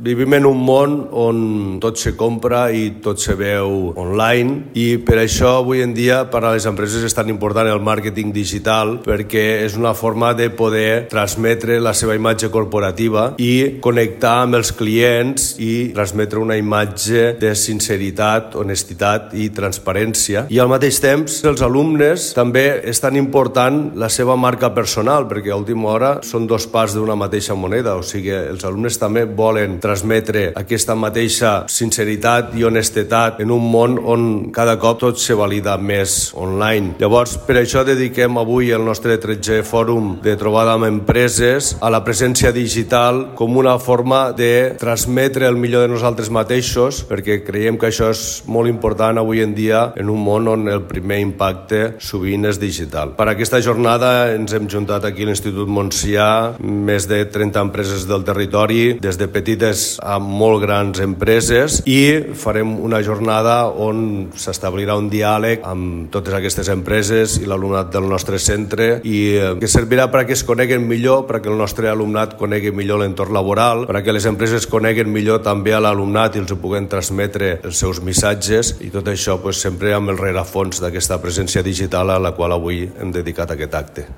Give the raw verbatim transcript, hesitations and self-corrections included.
Vivim en un món on tot se compra i tot se veu online i per això avui en dia per a les empreses és tan important el màrqueting digital perquè és una forma de poder transmetre la seva imatge corporativa i connectar amb els clients i transmetre una imatge de sinceritat, honestitat i transparència. I al mateix temps els alumnes també és tan important la seva marca personal perquè a última hora són dos parts d'una mateixa moneda, o sigui, els alumnes també volen transmetre aquesta mateixa sinceritat i honestedat en un món on cada cop tot se valida més online. Llavors, per això dediquem avui el nostre tretzè fòrum de trobada amb empreses a la presència digital com una forma de transmetre el millor de nosaltres mateixos, perquè creiem que això és molt important avui en dia en un món on el primer impacte sovint és digital. Per aquesta jornada ens hem juntat aquí a l'Institut Montsià més de trenta empreses del territori, des de petites a molt grans empreses, i farem una jornada on s'establirà un diàleg amb totes aquestes empreses i l'alumnat del nostre centre i que servirà perquè es coneguen millor, perquè el nostre alumnat conegui millor l'entorn laboral, perquè les empreses coneguen millor també a l'alumnat i els puguin transmetre els seus missatges, i tot això pues, sempre amb el rerefons d'aquesta presència digital a la qual avui hem dedicat aquest acte.